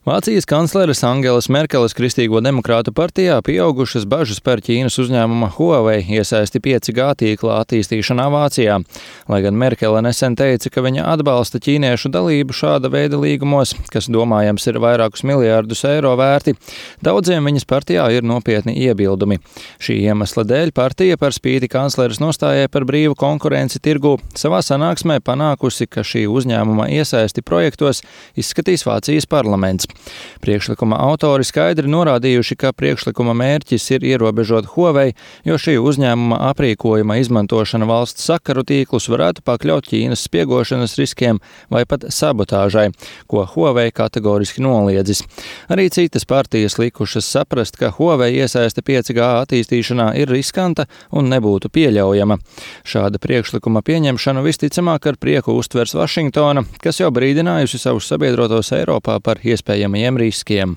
Vācijas kancleres Angelas Merkeles Kristīgo demokrātu partijā pieaugušas bažas par Ķīnas uzņēmuma Huawei iesaisti 5G tīkla attīstīšanā Vācijā. Lai gan Merkele nesen teica, ka viņa atbalsta ķīniešu dalību šāda veida līgumos, kas domājams ir vairākus miljārdus eiro vērti, daudziem viņas partijā ir nopietni iebildumi. Šī iemesla dēļ partija par spīti kancleres nostājai par brīvu konkurenci tirgū savā sanāksmē panākusi, ka šī uzņēmuma iesaisti projektos izskatīs Vācijas parlaments. Priekšlikuma autori skaidri norādījuši, ka priekšlikuma mērķis ir ierobežot Huawei, jo šī uzņēmuma aprīkojuma izmantošana valsts sakaru tīklus varētu pakļaut Ķīnas spiegošanas riskiem vai pat sabotāžai, ko Huawei kategoriski noliedzis. Arī citas partijas likušas saprast, ka Huawei iesaiste 5G attīstīšanā ir riskanta un nebūtu pieļaujama. Šāda priekšlikuma pieņemšanu visticamāk ar prieku uztvers Vašingtona, kas jau brīdinājusi savus sabiedrotos Eiropā par iespējamajiem riskiem.